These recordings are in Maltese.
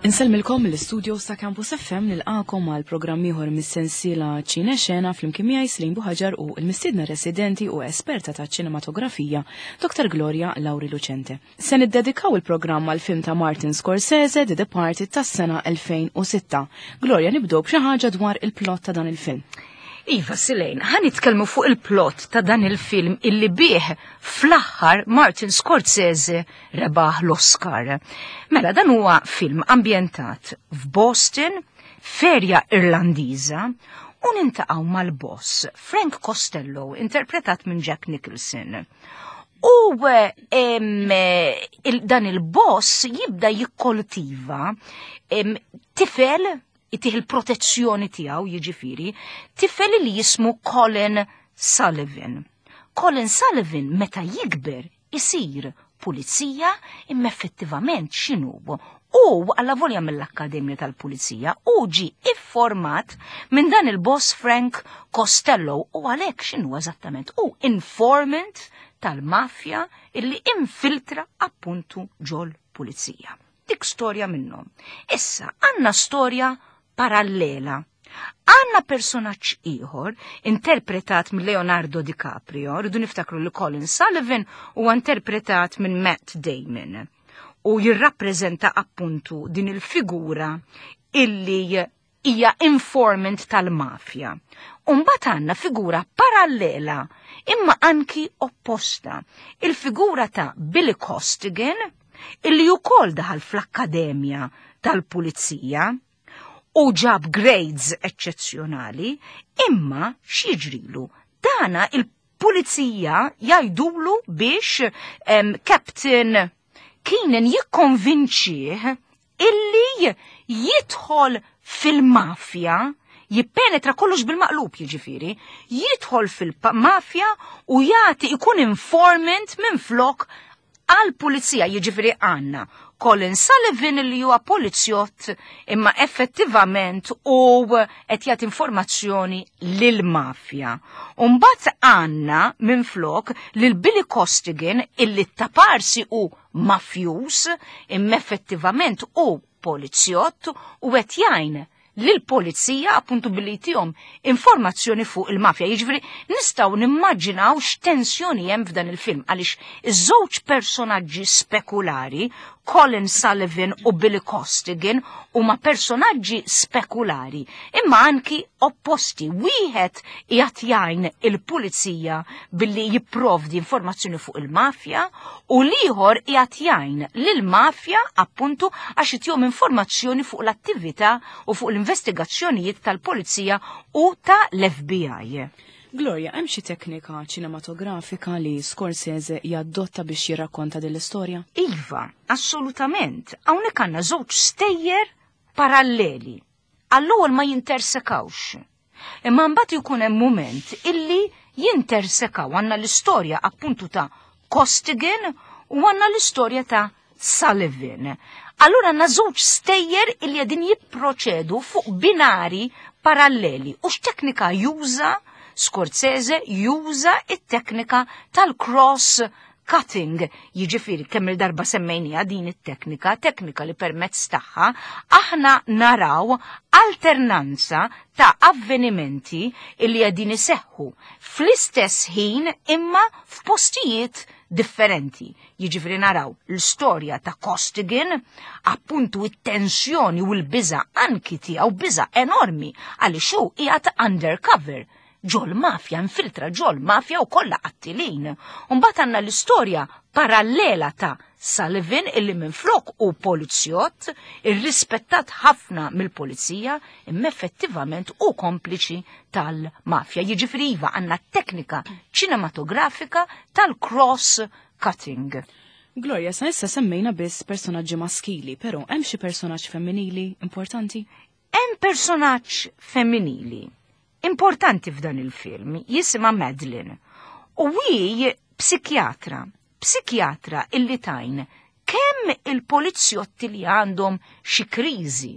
Insellmilkom mill-istudios ta' Campus FM nilqakom għal programm ieħor mis-sensiela Ċine Xena flimkien miegħi Slim Buħaġar u l-mistiedna residenti u esperta ta' ċinematografija Dr. Gloria Lauri Lucente. Se niddedikaw il-programm għal film ta' Martin Scorsese The Departed tas-sena 2006. Gloria nibdew b'xi ħaġa dwar il-plot ta' dan il-film. Iva, Silejn, ħa nitkellmu fuq il-plot ta' dan il-film illi bih fl-aħħar Martin Scorsese rebaħ l-Oscar. Mela, dan huwa film ambjentat f'Boston, ferja Irlandiża, u nintaqgħu mal-boss Frank Costello, interpretat minn Jack Nicholson. U il, dan il-boss jibda jikkoltiva tifel itih il-protezzjoni tiegħu jiġifieri, tifel li jismu Colin Sullivan. Colin Sullivan meta jikber isir pulizija imma effettivament x'inhu u alla volja mill-Akkademja tal-Pulizija u ġi ifformat minn dan il-boss Frank Costello u għalhekk x'inhu eżattament u informant tal-mafja illi infiltra appuntu ġol pulizija. Dik storja minnhom. Issa għandna storja parallela. Għanna personaġġ ieħor interpretat minn Leonardo DiCaprio, rridu niftakru li Colin Sullivan huwa interpretat minn Matt Damon u jirrappreżenta appuntu din il-figura illi hija informant tal-mafja. Umbat għandna figura parallela imma anki opposta. Il-figura ta' Billy Costigan illi ukoll daħal fl-akkademja tal-pulizija u ġab grades eċċezzjonali, imma x'jiġrilu? Dana il-pulizija jgħidulu biex Captain Keenan jikkonvinċih illi jidħol fil-mafja, jippenetra kollox bil-maqlub jiġifieri, jidħol fil-mafja u jagħti ikun informant minn flok għal-pulizija jiġifieri għandna Colin Sullivan li huwa polizzjott imma effettivament u qed jagħti informazzjoni lill-mafja. U mbagħad għandna minflok lil Billy Costigan illi taparsi u mafjus imma effettivament u polizzjott u qed jgħin lill-pulizija appuntu billi jtihom informazzjoni fuq il-mafja. Jiġifieri nistgħu nimmaġinaw x'tensjoni hemm f'dan il-film għaliex iż-żewġ personaġġi spekulari, Colin Sullivan u Billy Costigan, huma personaġġi spekulari, imma anki opposti. Wieħed qiegħed jgħin il-pulizija billi jipprovdi informazzjoni fuq il-mafja u l-ieħor qiegħed jgħin lill-mafja appuntu għax itihom informazzjoni fuq l-attività u fuq l-investigazzjonijiet tal-pulizija u tal-FBI. Gloria, hemm xi teknika ċinematografika li Scorsese jaddotta biex jirrakkonta din l-istorja? Iva, assolutament. Hawnhekk għandna żewġ stejjer paralleli. Għall-ewwel ma jintersekawx. Imma mbagħad ikun hemm mument illi jintersekaw għandna l-istorja appuntu ta' Costigan u għandna l-istorja ta' Sullivan. Allura għandna żewġ stejjer illi qegħdin jipproċedu fuq binari paralleli u x'teknika juża Scorsese juża it-teknika tal-cross cutting, jiġifieri kemm il-darba semmejniha din it-teknika, teknika li permezz tagħha aħna naraw alternanza ta' avvenimenti li qegħdin iseħħu fl-istess ħin imma f'postijiet differenti. Jiġifieri naraw l-istorja ta' Costigan, appuntu it-tensjoni u l-biża' anki tiegħu biża' enormi għaliex hu qiegħed undercover ġol mafja, infiltra ġol mafja u kollha qattilin. Mbagħad għandna l-istorja parallela ta' Sullivan illi minflok u polizzjott, irrispettat ħafna mill-pulizija, imma effettivament u kompliċi tal-mafja. Jiġifieri iva għandna teknika ċinematografika tal-cross cutting. Gloria, sa issa semmejna biss personaġġi maskili, però hemm xi personaġġ femminili importanti? Hemm personaġġ femminili importanti f'dan il-film, jisimha Madeline. U hi psikjatra, psikjatra illi tajn kemm il-polizjotti li għandhom xi kriżi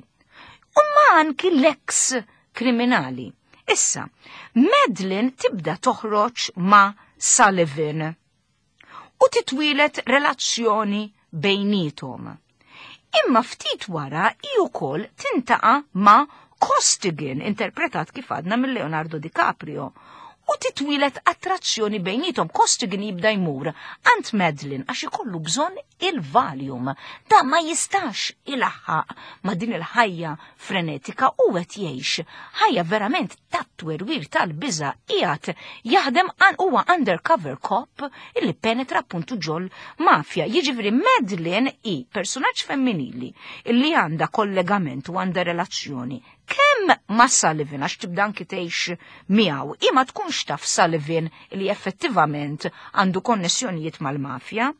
u ma anki l-eks kriminali. Issa, Madeline tibda toħroġ ma' Sullivan u titwilet relazzjoni bejnietom. Imma ftit wara hi wkoll tintaqa' ma' Costigan, interpretat kif għadna minn Leonardo DiCaprio, u titwieled attrazzjoni bejniethom. Costigan jibda jmur għand Madeline għax ikollu bżonn il-Valium. Da ma jistax ilaħħaq ma' din il-ħajja frenetika u qed jgħix ħajja verament tat-twerwir tal-biża' qiegħed jaħdem huwa undercover cop illi penetra appuntu ġol mafja. Jiġifieri Madeline hi personaġġ femminili illi għandha kollegament u għandha relazzjoni kemm ma' Sullivan għax tibda anki tgħix miegħu, hi ma tkunx taf Sullivan li effettivament għandu konnessjonijiet mal-mafja,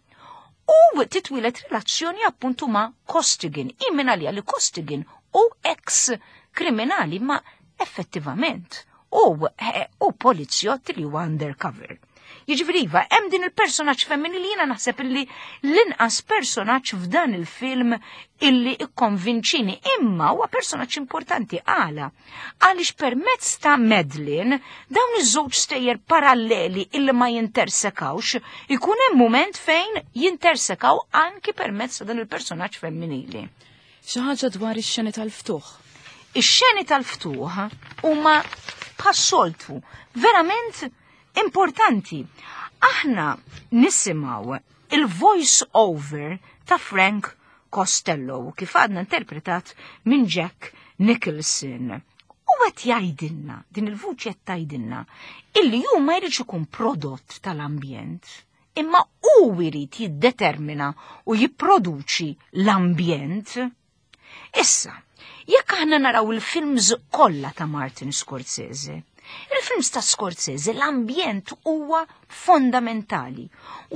u titwilet relazzjoni appuntu ma' Costigan. Hi minn għalija li Costigan u ex kriminali ma effettivament u polizjott li huwa undercover. Jiġifieri iva, hemm din il-personaġġ femminili jiena naħseb illi l-inqas personaġġ f'dan il-film illi ikkonvinċini, imma huwa personaġġ importanti għala. Għaliex permezz ta' Madeline dawn iż-żewġ stejjer paralleli illi ma jintersekawx, ikun hemm mument fejn jintersekaw anki permezz ta' dan il-personaġġ femminili. Xi ħaġa dwar ix-xeni tal-ftuħ. Ix-xeni tal-ftuħ huma bħas-soltu verament importanti. Aħna nisimgħu il-voice over ta' Frank Costello kif għadna interpretat minn Jack Nicholson. U qed jgħidilna, din il-vuċi qed tgħidilna, illi hu ma jridx ikun prodott tal-ambjent, imma hu jrid jiddetermina u jipproduċi l-ambjent. Issa, jekk aħna naraw il-films kollha ta' Martin Scorsese, il-films ta' Scorsese l-ambjent huwa fondamentali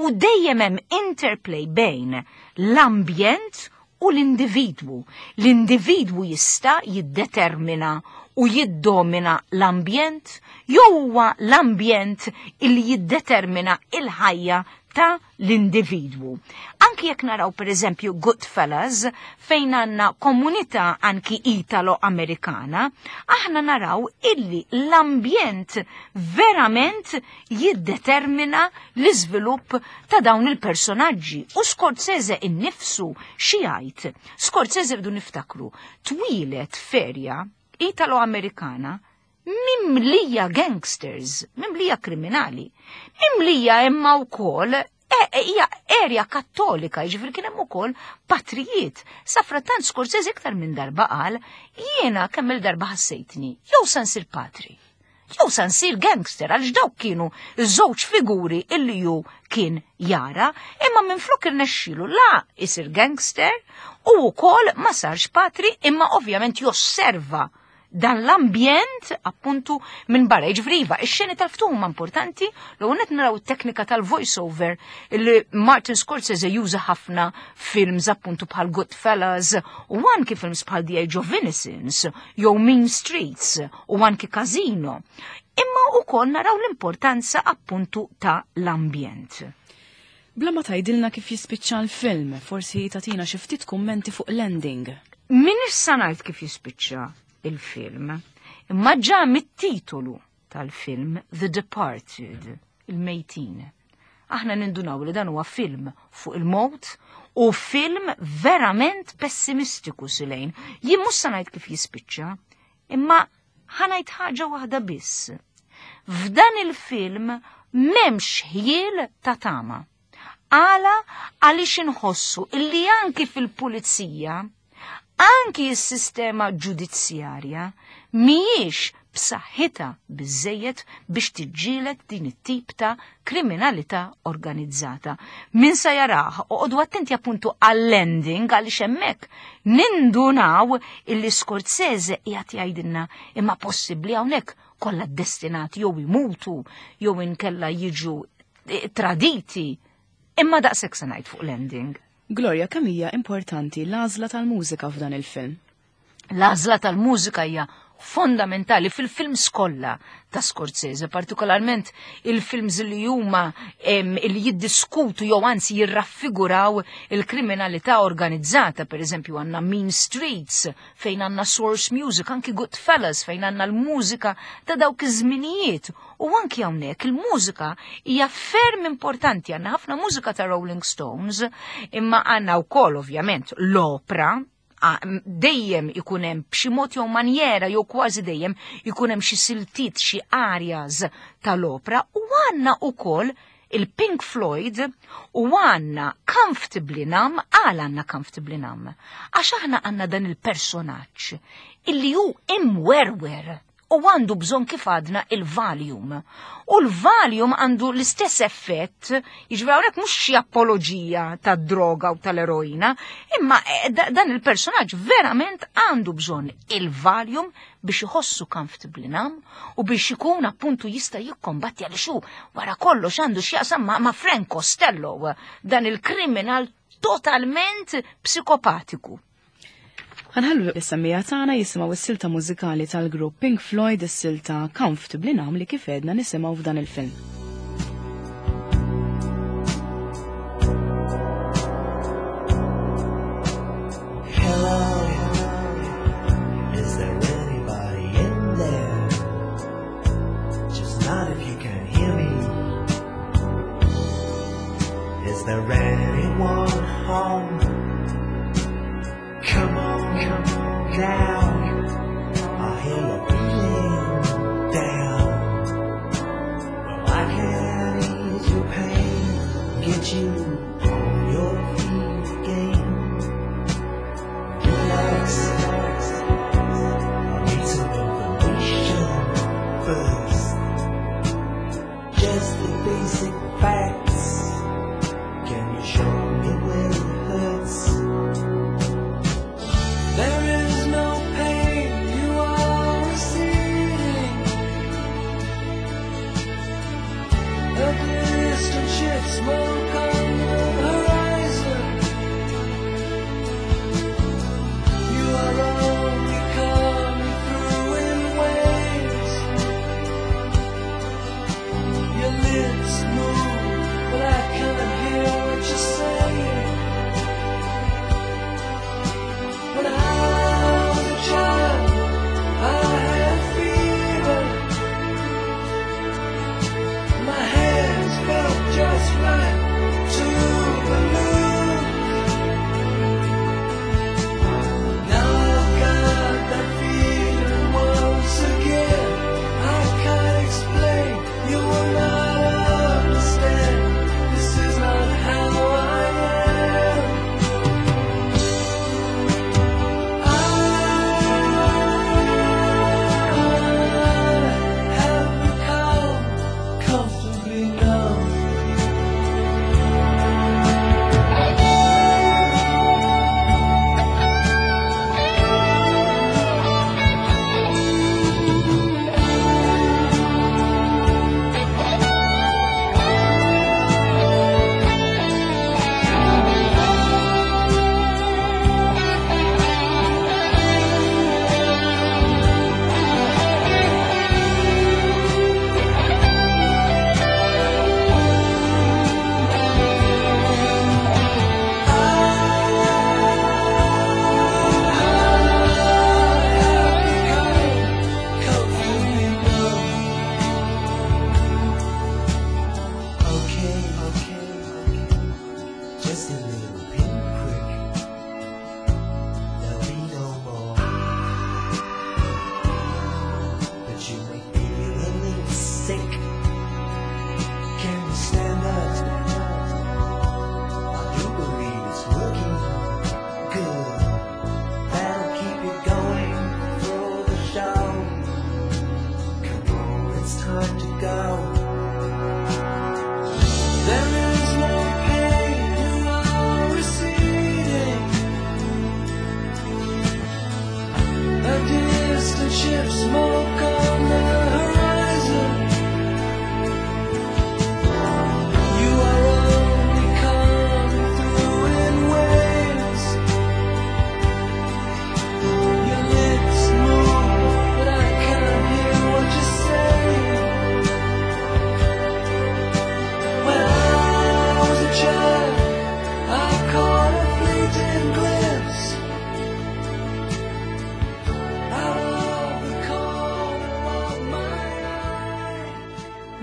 u dejjem hemm interplay bejn l-ambjent u l-individwu. L-individwu jista' jiddetermina u jiddomina l-ambjent jew huwa l-ambjent illi jiddetermina il-ħajja ta' l-individwu. Anki jekk naraw per eżempju Goodfellas, fejn għandna komunità anki Italo-Amerikana, aħna naraw illi l-ambjent verament jiddetermina l-iżvilupp ta' dawn il-personaġġi. U Scorsese innifsu xi jgħid? Scorsese rridu niftakru, twieled f'erja Italo-Amerikana mimlija gangsters, mimlija kriminali, mimlija imma wkoll hija erja kattolika, jiġifieri kien hemm ukoll patrijiet. Safrattant Scorsese iktar minn darba qal, jiena kemm il-darba ħassejtni, jew sa nsir patri, jew sa nsir gangster, għaliex dawk kienu żewġ figuri illi ju kien jara, imma minflok irnexxielu la isir gangster u wkoll ma sarx patri, imma ovvjament josserva dan l-ambjent appuntu minn barra. Jiġifieri iva, ix-xeni tal-ftuħ huma importanti, l qed naraw it-teknika tal-voice-over li Martin Scorsese juża ħafna films appuntu bħal Goodfellas u anki films bħal The Age of Innocence jew Mean Streets u anki Casino. Imma wkoll naraw l-importanza appuntu ta' l-ambjent. Bla ma tgħidilna kif jispiċċa l-film, forsi tatina xi ftit kummenti fuq l-ending. Min issa ngħid kif jispiċċa il-film, imma ġa mit-titolu tal-film The Departed, il-mejtin. Aħna nindunaw li dan huwa film fuq il-mowt u film verament pessimistiku silejn. Jien mhux se ngħid kif jispiċċa, imma ħa ngħid ħaġa waħda biss. F'dan il-film m'hemmx ħjiel ta' tama. Għala għaliex inħossu illi anki fil-pulizija, anki s-sistema ġudizzjarja mhijiex b'saħħitha biżejjed biex tiġġieled din it-tip ta' kriminalità organizzata. Min sa jarah, oqogħdu attenti appuntu għall-ending għaliex hemmhekk nindunaw illi Scorsese qiegħed jgħidilna imma possibbli hawnhekk kollha destinati jew imutu jew inkella jiġu traditi. Imma daqshekk se ngħid fuq l-ending. Gloria, kemm hija importanti l-għażla tal-mużika f'dan il-film? L-għażla tal-mużika hija fondamentali fil-films kollha ta' Scorsese, partikolarment il-films li huma li jiddiskutu jew anzi jirraffiguraw il-kriminalità organizzata, per eżempju għandna Mean Streets, fejn għandna Source Music, anki Goodfellas, fejn għandna l-mużika ta' dawk iż-żminijiet. U anki hawnhekk il-mużika hija ferm importanti, għandna ħafna mużika ta' Rolling Stones, imma għandna wkoll ovvjament l-opra, dejjem ikun hemm b'xi mod jew manjera jew kważi dejjem ikun hemm xi siltiet, xi arias tal-opra u għandna wkoll il-Pink Floyd u għandna Comfortably Numb. Għal għandna Comfortably Numb? Għax aħna għandna dan il-personaġġ illi hu imwerwer u għandu bżonn kif għadna il-Valium. U l-Valium għandu l-istess effett, jiġifieri hawnhekk mhux xi apoloġija tad-droga u tal-eroina, imma dan il-personaġġ verament għandu bżonn il-Valium biex iħossu comfortably numb u biex ikun appuntu jista' jikkombatti għaliex hu wara kollox għandu x'jaqsam ma' Frank Costello, dan il-kriminal totalment psikopatiku. Ħanħallu is-semmija tagħna jisimgħu s-silta mużikali tal-grupp Pink Floyd, is-silta Comfortably Numb li kif għedna nisimgħu f'dan il-film. Hello, is there anybody in there? Just not if you can hear me. Is there anyone home? Come on, come on down. I hear you're feeling down. Well, I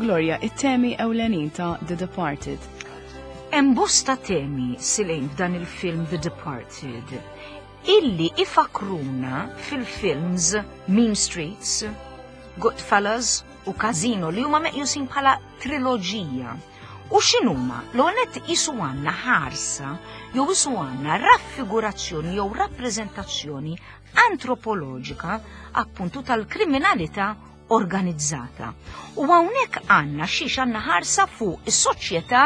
Gloria, it-temi ewlenin ta' The Departed. Hemm bosta temi silejn f'dan il-film The Departed illi ifakruna fil-films Mean Streets, Goodfellas u Casino li huma meqjusin bħala triloġija. U x'inhuma? L-għonet isu għandna ħarsa jew isu għandna raffigurazzjoni jew rappreżentazzjoni antropoloġika appuntu tal-kriminalità organizzata. U hawnhekk għandna xiex għandna ħarsa fuq is-soċjetà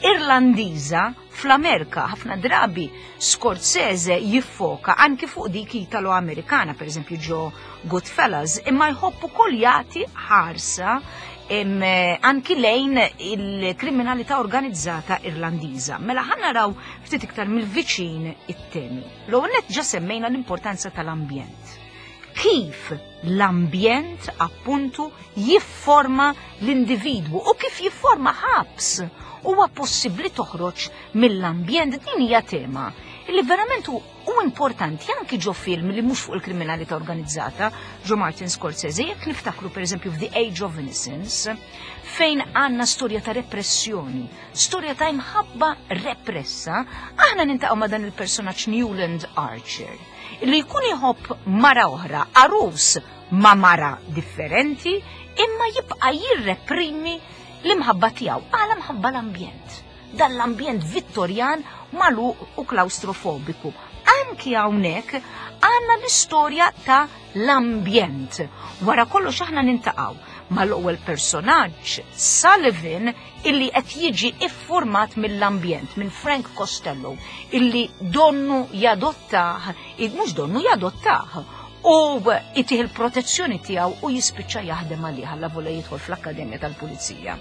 Irlandiża fl-Amerika. Ħafna drabi Scorsese jiffoka anki fuq dik Italo-Amerikana, per eżempju ġo Goodfellas, imma jħobb ukoll jagħti ħarsa anki lejn il-kriminalità organizzata Irlandiża. Mela ħa naraw ftit iktar mill-viċin it-temi. L-ewwel nett ġa semmejna l-importanza tal-ambjent. Kif l-ambjent appuntu jifforma l-individwu u kif jifforma ħabs huwa possibbli toħroġ mill-ambjent din hija tema li verament hu importanti anki ġo film li mhux fuq il-kriminalità organizzata ġo Martin Scorsese jekk niftakru pereżempju f'The Age of Innocence fejn għandna storja ta' repressjoni, storja ta' imħabba repressa, aħna nintaqgħu ma' dan il-personaġġ Newland Archer li jkun iħobb mara oħra, għarus ma' mara differenti, imma jibqa' jirreprimi l-imħabba tiegħu għala mħabba l-ambjent. Dan l-ambjent Vittorjan magħluq u klaustrofobiku. Anki hawnhekk għandna l-istorja ta' l-ambjent. Wara kollox aħna nintaqgħu mal-ewwel personaġġ Sullivan illi qed jiġi iffurmat mill-ambjent minn Frank Costello illi donnu jadottah, mhux donnu jadottah, u itih il-protezzjoni tiegħu u jispiċċa jaħdem għalih alla vola jidħol fl-Akkademja tal-Pulizija.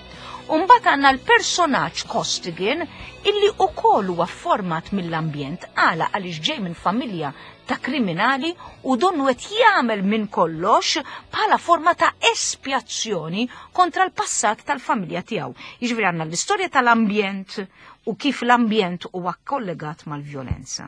Umbagħad għandna l-personaġġ Costigan illi ukoll huwa format mill-ambjent għala għaliex ġej minn familja ta' kriminali u donnu qed jagħmel minn kollox bħala forma ta' espjazzjoni kontra l-passat tal-familja tiegħu. Jiġifieri għandna l-istorja tal-ambjent u kif l-ambjent huwa kollegat mal-vjolenza.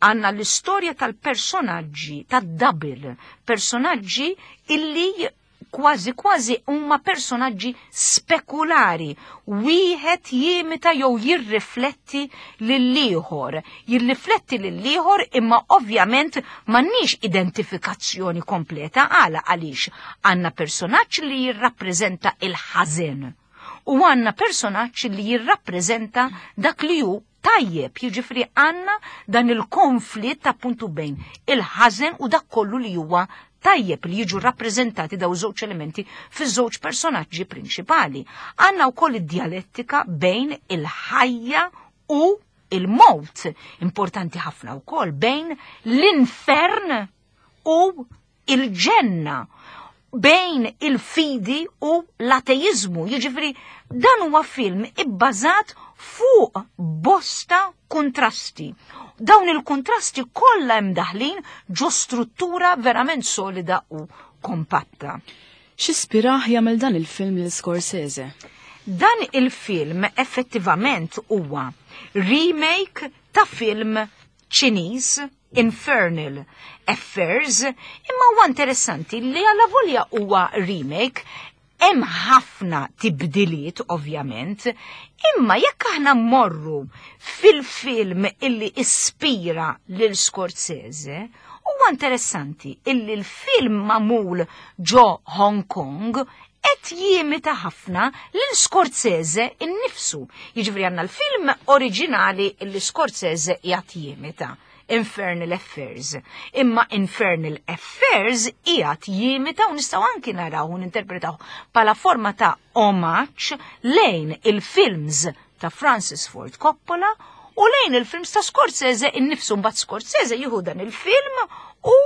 Għandna l-istorja tal-personaġġi, tad-double, personaġġi illi kważi kważi huma personaġġi spekulari, wieħed jimita jew jirrifletti lill-ieħor. Jirrifletti lill-ieħor imma ovvjament m'għandniex identifikazzjoni kompleta għala għaliex għandna personaġġ li jirrappreżenta il-ħażen u għandna personaġġ li jirrappreżenta dak li hu tajjeb, jiġifieri għandna dan il-konflitt appuntu bejn il-ħażen u dak kollu li huwa tajjeb li jiġu rappreżentati daw żewġ elementi fiż-żewġ personaġġi prinċipali. Għandna wkoll id-djalettika bejn il-ħajja u il-mowt, importanti ħafna wkoll bejn l-infern u il-ġenna, bejn il-fidi u l-ateizmu. Jiġifieri dan huwa film ibbażat fuq bosta kontrasti. Dawn il-kontrasti kollha hemm daħlin ġo struttura verament solida u kompatta. X'ispirah jagħmel dan il-film lil Scorsese? Dan il-film effettivament huwa remake ta' film Ċiniż Infernal Affairs, imma huwa interessanti li għalla volja huwa remake, hemm ħafna tibdiliet ovvjament, imma jekk aħna mmorru fil-film illi ispira lil Scorsese, huwa interessanti illi l-film magħmul ġo Hong Kong qed jimita ħafna lil Scorsese innifsu. Jiġifieri għandna l-film oriġinali illi Scorsese qiegħed jimita. Infernal Affairs. Imma Infernal Affairs qiegħed jimita u nistgħu anki naraw u ninterpretaw bħala forma ta' omaġġ lejn il-films ta' Francis Ford Coppola u lejn il-films ta' Scorsese innifsu. Mbagħad Scorsese jieħu dan il-film u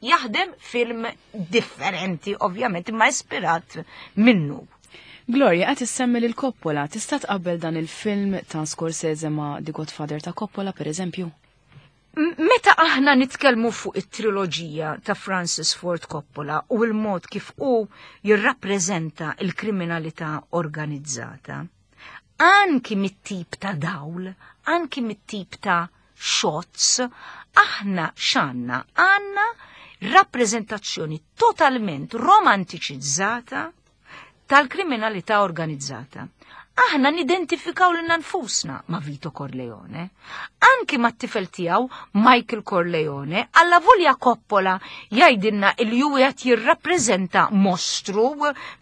jaħdem film differenti ovvjament imma ispirat minnu. Gloria, qed issemmi lil Coppola, tista' tqabbel dan il-film ta' Scorsese ma' The Godfather ta' Coppola per eżempju? Meta aħna nitkellmu fuq it-triloġija ta' Francis Ford Coppola u l-mod kif hu jirrappreżenta l-kriminalità organizzata, anki mit-tip ta' dawl, anki mit-tip ta' shots, aħna x'għandna? Għandna rappreżentazzjoni totalment romantiċizzata tal-kriminalità organizzata. Aħna nidentifikaw lilna nfusna ma' Vito Corleone, anki ma' tifel tiegħu Michael Corleone, alla volja Coppola jgħidilna il ju qed jirrappreżenta mostru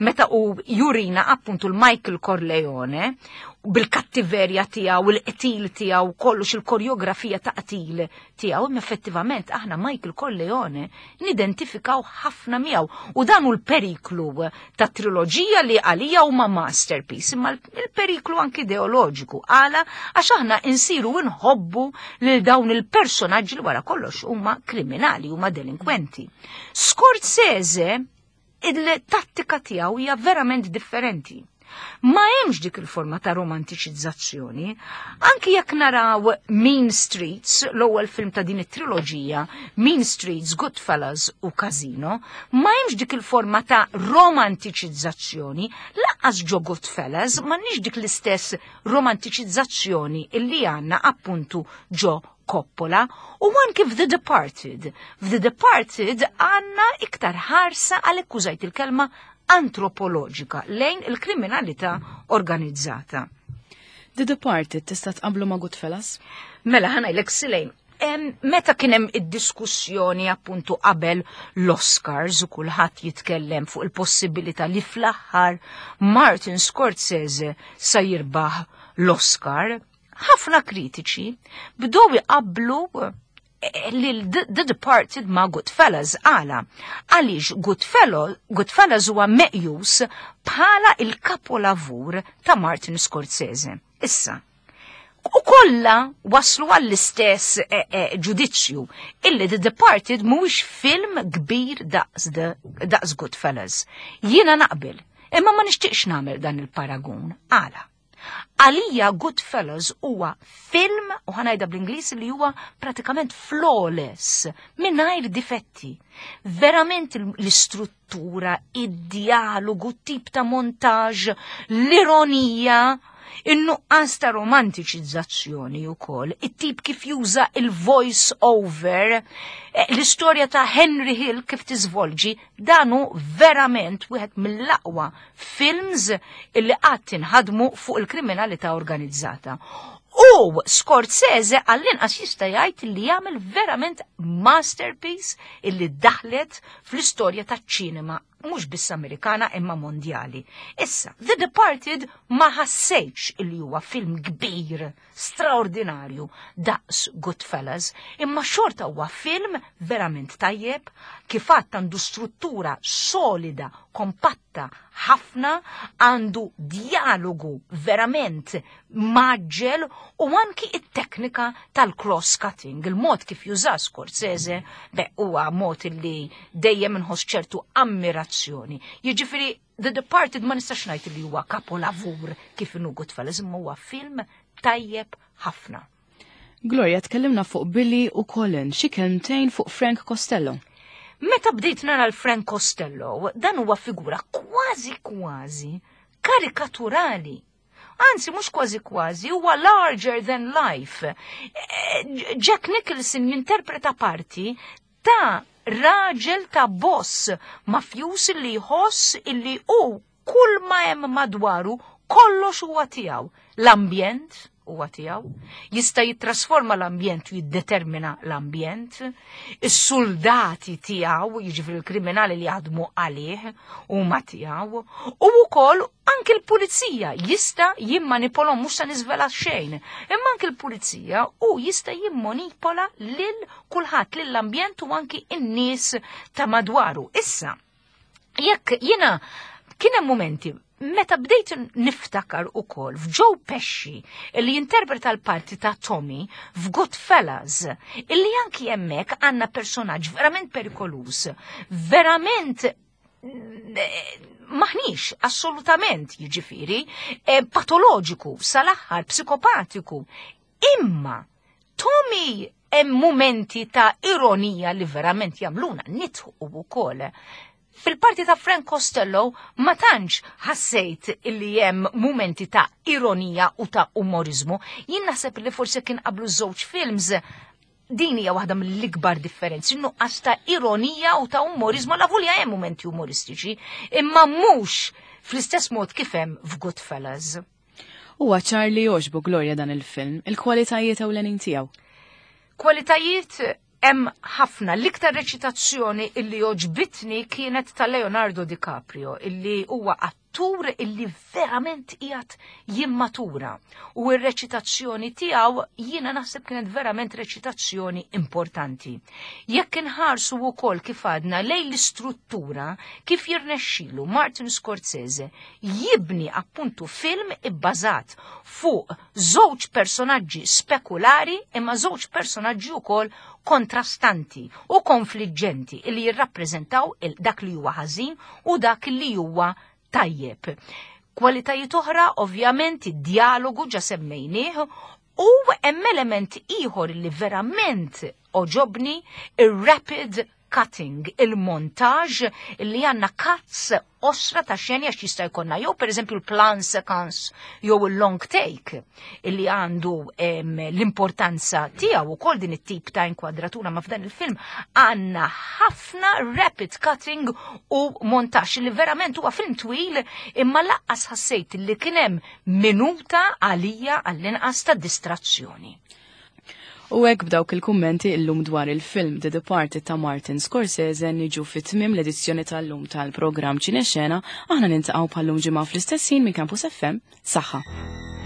meta u jurina appuntu l-Michael Corleone bil-kattiverja tiegħu, il-qtil tiegħu, kollox il-koreografija ta' qtil tiegħu, imma effettivament aħna Michael Corleone nidentifikaw ħafna miegħu u dan hu l-periklu ta' triloġija li għalija huma masterpiece, imma l-periklu anki ideoloġiku għala għax aħna insiru nħobbu lil dawn il-personaġġi li wara kollox huma kriminali, huma delinkwenti. Scorsese il-tattika tiegħu hija verament differenti. Ma hemmx dik il-forma ta' romantiċizzazzjoni. Anki jekk naraw Mean Streets, l-ewwel film ta' din it-triloġija, Mean Streets, Goodfellas u Casino, ma hemmx dik il-forma ta' romantiċizzazzjoni, lanqas ġo Goodfellas m'għandniex dik l-istess romantiċizzazzjoni illi għandna appuntu ġo Coppola u anki f'The Departed. F'The Departed għandna iktar ħarsa għalhekk użajt il-kelma antropoloġika lejn il-kriminalità organizzata. The Departed tista' tqablu ma' Goodfellas? Mela ħa ngħidlek Silejn, meta kien hemm id-diskussjoni appuntu qabel l-Oscars u kulħadd jitkellem fuq il-possibilità li fl-aħħar Martin Scorsese sa jirbaħ l-Oscar, ħafna kritiċi bdew iqablu lil The Departed ma' Goodfellas għala. Għaliex Goodfellas huwa meqjus bħala il-kapolavur ta' Martin Scorsese. Issa, u kollha waslu għall-istess ġudizzju illi The Departed mhuwiex film kbir daqs Goodfellas. Jiena naqbel, imma ma nixtieqx nagħmel dan il-paragun. Għala. Għalija Goodfellas huwa film, u ħa ngħidha bl-Ingliż li huwa pratikament flawless, mingħajr difetti. Verament l-istruttura, id-dialogu, tip ta' montaġ, l-ironija, in-nuqqas ta' romantiċizzazzjoni wkoll, it-tip kif juża il-voice over, l-istorja ta' Henry Hill kif tiżvolġi, dan hu verament wieħed mill-aqwa films illi qatt inħadmu fuq il-kriminalità organizzata. U Scorsese għall-inqas jista' jgħid li jagħmel verament masterpiece illi daħlet fl-istorja taċ-ċinema mhux biss Amerikana imma mondjali. Issa, The Departed ma ħassejtx illi huwa film kbir, straordinarju, daqs Goodfellas, imma xorta huwa film verament tajjeb, kif għadt għandu struttura solida, kompatta ħafna, għandu dialogu verament maġġel u anki it-teknika tal-cross-cutting, il-mod kif juża Scorsese, beh, huwa mod li dejjem inħoss ċertu ammirazzjoni. Jiġifieri The Departed ma nistax ngħid li huwa kapolavur kif inhu Goodfellas, imma huwa film tajjeb ħafna. Gloria, tkellimna fuq Billy u Colin, xi kelmtejn fuq Frank Costello. Meta bdejt nara l-Frank Costello, dan huwa figura kważi kważi karikaturali. Anzi, mhux kważi kważi, huwa larger than life. Jack Nicholson jinterpreta parti ta' raġel ta' boss mafjus li jħoss illi hu kull ma hemm madwaru kollox huwa tiegħu. L-ambjent huwa tiegħu, jista' jittrasforma l-ambjent u jiddetermina l-ambjent, is-soldati tiegħu, jiġifieri l-kriminali li jaħdmu għalih huma tiegħu, u wkoll anke l-pulizija jista' jimmanipolhom, mhux se niżvela xejn, imma anke l-pulizija u jista' jimmanipola lil kulħadd, lill-ambjent u anke n-nies ta' madwaru. Issa, jekk jiena kien hemm momenti meta bdejt niftakar ukoll f'Joe Pesci li jinterpreta l-parti ta' Tommy f'Goodfellas, illi anki hemmhekk għandna personaġġ verament perikoluż, verament maħniex assolutament jiġifieri patoloġiku, sal-aħħar psikopatiku. Imma Tommy hemm momenti ta' ironija li verament jagħmluna nidħku wkoll. Fil-parti ta' Frank Costello ma tantx ħassejt illi hemm momenti ta' ironija u ta' umorizmu. Jien naħseb li forsi kien qablu żewġ films din hija waħda mill-ikbar differenzi, nuqqas ta' ironija u ta' umorizmu, la volja hemm momenti umoristiċi, imma mhux Fl-istess mod kif hemm f'Goodfellas. Huwa ċar li jogħġbu Gloria dan il-film, il-kwalitajiet ewlenin tiegħu. Kwalitajiet hemm ħafna. L-iktar reċitazzjoni illi għoġbitni kienet ta' Leonardo DiCaprio, illi huwa attur illi verament qiegħed jimmatura. U r-reċitazzjoni tiegħu jiena naħseb kienet verament reċitazzjoni importanti. Jekk inħarsu wkoll kif għadna lejn l-istruttura kif jirnexxilu Martin Scorsese jibni appuntu film ibbażat fuq żewġ personaġġi spekulari imma żewġ personaġġi wkoll kontrastanti u konfliġġenti li jirrappreżentaw dak li huwa ħażin u dak li huwa tajjeb. Kwalitajiet oħra, ovvjament, id-dialogu ġa semmejnieh u hemm element ieħor li verament għoġobni, ir-rapid cutting, il-montage li għandna cuts qosra ta' xeni għax jista' jkollna jew pereżempju l-plan sequence jew il-long take illi għandu l-importanza tiegħu ukoll din it-tip ta' inkwadratura ma' f'dan il-film għandna ħafna rapid cutting u montaġġ li verament huwa film twil imma lanqas ħassejt li kien hemm minuta għalija għall-inqas ta' distrazzjoni. U hekk b'dawk il-kummenti illum dwar il-film The Departed ta' Martin Scorsese niġu fit-tmim l-edizzjoni tal-lum tal-programm Ċinexena, aħna niltaqgħu bħal-lum ġimgħa fl-istess ħin minn Campus FM. Saħħa.